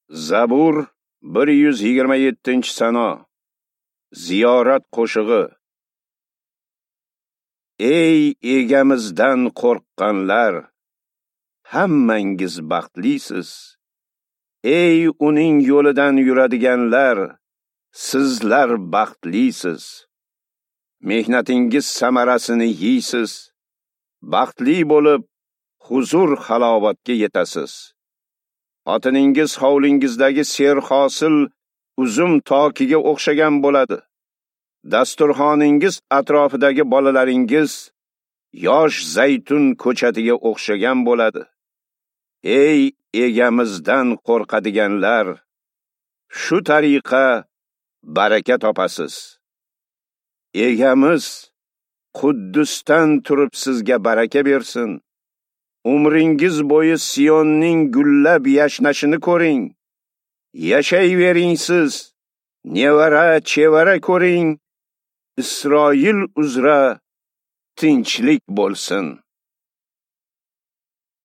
Zabur 127-sano. Ziyorat qo'shig'i. Ey egamizdan qo'rqqanlar, hammangiz baxtlisiz. Ey uning yo'lidan yuradiganlar, sizlar baxtlisiz. Mehnatingiz samarasini yeysiz. Baxtli bo'lib, huzur halovatga yetasiz. Xotiningiz hovlingizdagi serhosil uzum tokiga o'xshagan bo'ladi. Dasturxoningiz atrofidagi bolalaringiz yosh zaytun ko'chatiga o'xshagan bo'ladi. Ey egamizdan qo'rqadiganlar, shu tariqa baraka topasiz. Egamiz Quddusdan turib sizga baraka bersin. Umringiz bo'yi Siyonning gullab yashnashini ko'ring. Yashayvering siz, nevara chevara ko'ring. Isroil uzra tinchlik bo'lsin.